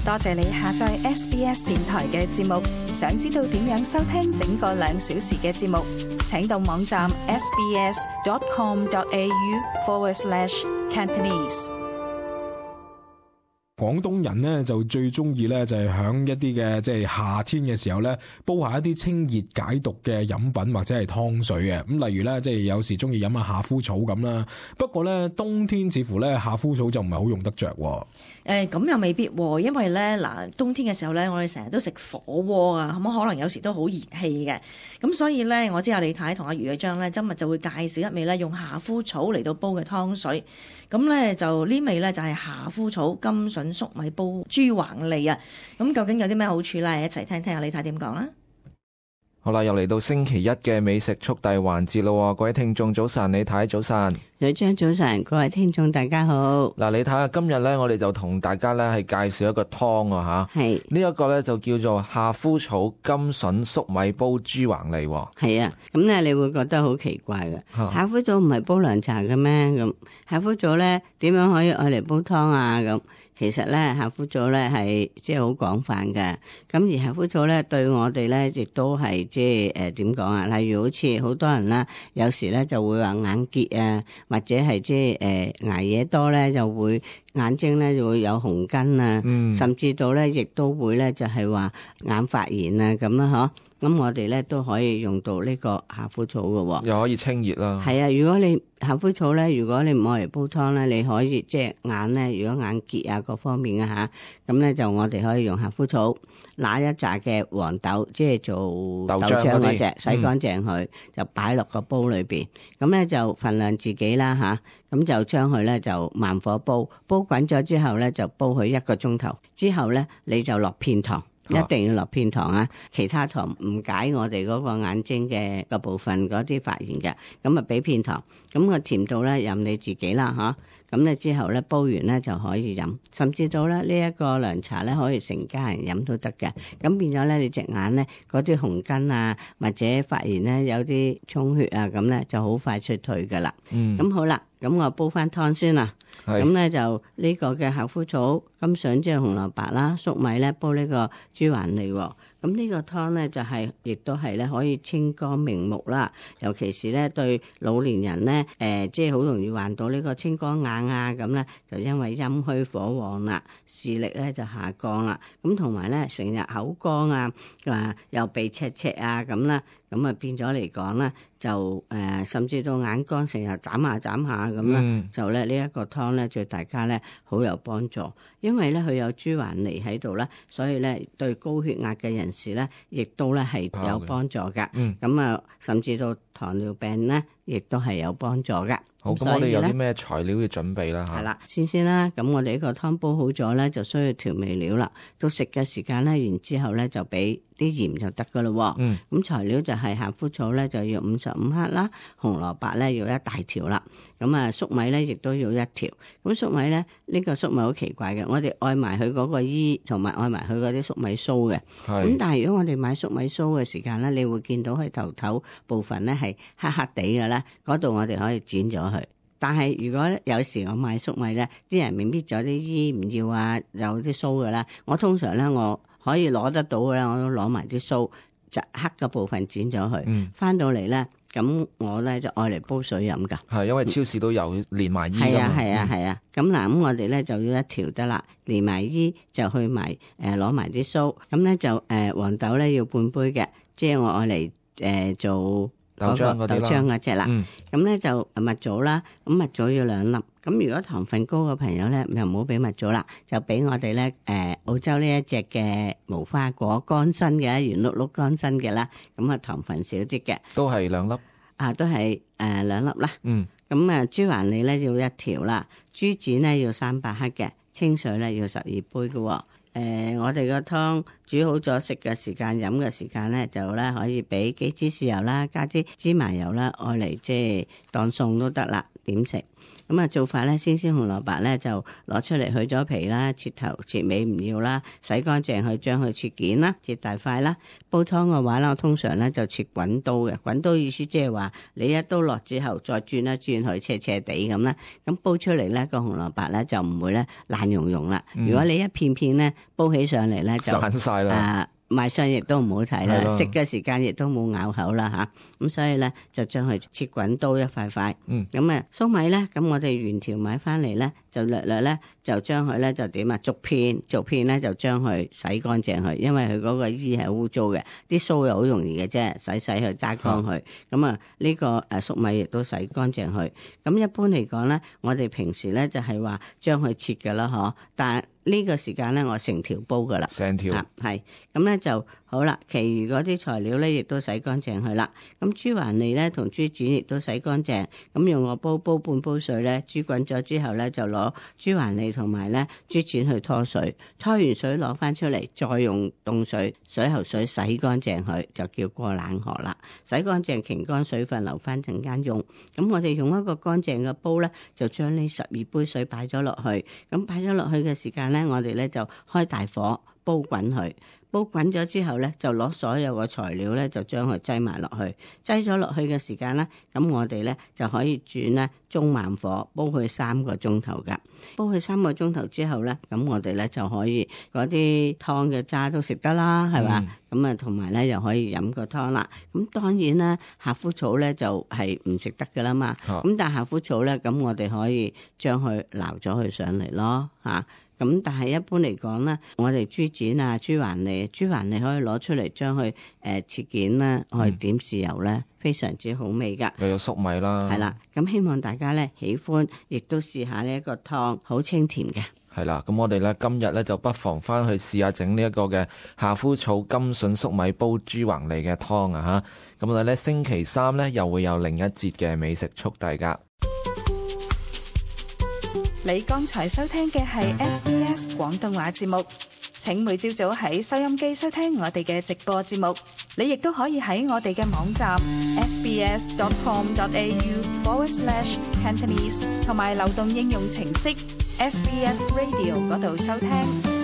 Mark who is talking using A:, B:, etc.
A: 多謝你下載 SBS 電台嘅節目。想知道點樣收聽整個2小時嘅節目，請到網站 sbs.com.au/Cantonese。
B: 廣東人咧就最中意咧就係響一啲嘅即係夏天嘅時候咧煲下一啲清熱解毒嘅飲品或者係湯水嘅。咁例如咧即係有時中意飲下夏枯草咁啦。不過咧冬天似乎咧夏枯草就唔係好用得着。
C: 咁又未必喎，因為咧冬天嘅時候咧我哋成日都食火鍋啊，咁可能有時都好熱氣嘅。咁所以咧我知阿李太同阿余偉章咧今日就會介紹一味咧用夏枯草嚟到煲嘅湯水。咁咧就呢味咧就係夏枯草甘筍粟米煲豬橫脷啊！咁究竟有啲咩好處咧？一齊聽聽阿李太點講啦。
D: 好啦，又嚟到星期一嘅美食速遞環節咯，各位聽眾早晨，李太早晨，
E: 女張早晨，各位聽眾大家好。
D: 嗱，李太啊，今日咧我哋就同大家咧係介紹一個湯啊吓，係呢一個咧就叫做夏枯草甘筍粟米煲豬橫脷。
E: 係啊，咁咧你會覺得好奇怪嘅，夏枯草唔係煲涼茶嘅咩？咁夏枯草咧點樣可以愛嚟煲湯啊？咁其實咧夏枯草咧係即係好廣泛嘅，咁而夏枯草咧對我哋咧亦都係即係點講啊？例如好似好多人啦，有時咧就會話眼結啊，或者係即係捱夜多咧，就會眼睛咧就會有紅筋啊，甚至到咧亦都會咧就係話眼發炎啊咁啦嗬。咁我哋咧都可以用到呢個夏枯草嘅，
D: 又可以清熱啦。
E: 係啊，如果你夏枯草咧，如果你唔愛嚟煲湯咧，你可以即係眼咧，如果眼結啊各方面啊吓，咁咧就我哋可以用夏枯草，拿一紮嘅黃豆，即係做豆漿嗰隻，洗乾淨佢，就擺落個煲裏邊，咁咧就份量自己啦吓，咁就將佢咧就慢火煲，煲滾咗之後咧就煲佢1個鐘頭，之後咧你就落片糖。一定要落片糖啊！其他糖唔解我哋嗰個眼睛嘅個部分嗰啲發炎嘅，咁啊俾片糖，咁個甜度咧任你自己啦嚇。咁咧之後咧煲完咧就可以飲，甚至到咧呢一個涼茶咧可以成家人飲都得嘅。咁變咗咧你隻眼咧嗰啲紅筋啊或者發炎咧有啲充血啊咁咧就好快出退噶啦。咁好啦，咁我煲翻湯先啦。咁咧就呢個嘅夏枯草、甘筍即係紅蘿蔔啦、粟米咧煲呢個豬橫脷喎。咁呢個湯咧就係亦都係咧可以清肝明目啦，尤其是咧對老年人咧即係好容易患到呢個青光眼啊咁咧，就因為陰虛火旺啦，視力咧就下降啦。咁同埋咧成日口乾啊，又鼻赤赤啊咁啦，咁啊變咗嚟講咧就甚至到眼乾成日眨下咁啦，就咧呢一個湯咧對大家咧好有幫助，因為咧佢有豬橫脷喺度啦，所以咧對高血壓嘅人士咧，亦都咧係有幫助噶。咁啊，甚至到糖尿病咧，亦都係有幫助噶。
D: 好，咁我哋有啲咩材料要準備啦？嚇，係
E: 啦，先啦。咁我哋呢個湯煲好咗咧，就需要調味料啦。到食嘅時間咧，然之後咧就俾啲鹽就得噶咯。咁材料就係夏枯草咧就要55克啦，紅蘿蔔咧要1大條啦。咁啊粟米咧亦都要1條。咁粟米咧呢個粟米好奇怪嘅，我哋愛埋佢嗰個衣，同埋愛埋佢嗰啲粟米鬚嘅。咁但係如果我哋買粟米鬚嘅時間咧，你會見到佢頭部分咧係黑黑地嘅咧，嗰度我哋可以剪咗佢。但係如果有時我買粟米咧，啲人搣咗啲衣唔要啊，有啲鬚嘅啦，我通常咧我可以攞得到嘅啦，我都攞埋啲鬚，就黑嘅部分剪咗佢，翻到嚟咧，咁我咧就愛嚟煲水飲噶。
D: 係因為超市都有連埋衣㗎嘛。
E: 係啊。咁嗱，咁我哋咧就要1條得啦，連埋衣就去埋攞埋啲鬚，咁咧就黃豆咧要半杯嘅，即係我愛嚟做
D: 豆漿
E: 嗰隻啦。咁咧就蜜棗啦，咁蜜棗要2粒。咁如果糖分高嘅朋友咧，就唔好俾蜜棗啦，就俾我哋咧澳洲呢一隻嘅無花果乾身嘅，圓碌碌乾身嘅啦，咁啊糖分少啲嘅，
D: 都係2粒。
E: 都係2粒啦。咁啊豬橫脷咧要1條啦，豬展咧要300克嘅，清水咧要12杯嘅。我哋個湯煮好咗，食嘅時間、飲嘅時間咧，就咧可以俾幾支豉油啦，加啲芝麻油啦，愛嚟即係當餸都得啦。點食。咁啊做法咧，鮮紅蘿蔔咧就攞出嚟去咗皮啦，切頭切尾唔要啦，洗乾淨去將佢切件啦，切大塊啦。煲湯嘅話咧，我通常咧就切滾刀嘅，滾刀意思即係話你一刀落之後再轉一轉佢斜斜地咁啦，咁煲出嚟咧個紅蘿蔔咧就唔會咧爛溶溶啦。如果你一片片咧煲起上嚟咧就
D: 散晒啦。
E: 賣相亦都唔好睇啦，食嘅時間亦都冇咬口啦吓，咁所以咧就將佢切滾刀一塊塊。咁啊粟米咧，咁我哋原條買翻嚟咧，就略略咧就將佢咧就點啊逐片咧就將佢洗乾淨佢，因為佢嗰個衣係污糟嘅，啲鬚又好容易嘅啫，洗去揸乾佢。咁啊呢個粟米亦都洗乾淨佢。咁一般嚟講咧，我哋平時咧就係話將佢切㗎啦，嗬，但係呢個時間咧，我成條煲噶啦，
D: 成條
E: 係咁咧就好啦。其餘嗰啲材料咧，亦都洗乾淨佢啦。咁豬環脷咧同豬展亦都洗乾淨。咁用個煲半煲水咧，豬滾咗之後咧，就攞豬環脷同埋咧豬展去拖水，拖完水攞翻出嚟，再用凍水喉水洗乾淨佢，就叫過冷河啦。洗乾淨擎乾水分，留翻陣間用。咁我哋用一個乾淨嘅煲咧，就將呢12杯水擺咗落去。咁擺咗落去嘅時間咧，我哋咧就開大火煲滾佢，煲滾咗之後咧，就攞所有嘅材料咧，就將佢擠埋落去，擠咗落去嘅時間咧，咁我哋咧就可以轉咧中慢火煲佢3個鐘頭噶，煲佢3個鐘頭之後咧，咁我哋咧就可以嗰啲湯嘅渣都食得啦，係嘛？咁啊，同埋咧又可以飲個湯啦。咁當然啦，夏枯草咧就係唔食得噶啦嘛。咁但係夏枯草咧，咁我哋可以將佢撈咗佢上嚟咯，嚇。咁但係一般嚟講咧，我哋豬展啊、豬環脷可以攞出嚟將佢切件啦，我哋點豉油咧，非常之好味噶。
D: 又有粟米啦，
E: 係啦。咁希望大家咧喜歡，亦都試下呢一個湯，好清甜嘅。
D: 係啦，咁我哋咧今日咧就不妨翻去試下整呢一個嘅夏枯草甘筍粟米煲豬橫脷嘅湯啊嚇！咁我哋咧星期3咧又會有另一節嘅美食速遞噶。
A: 你剛才收聽嘅係 SBS 廣東話節目，請每朝早喺收音機收聽我哋嘅直播節目。你亦都可以喺我哋嘅網站 sbs.com.au/Cantonese 同埋流動應用程式 SBS Radio 嗰度收聽。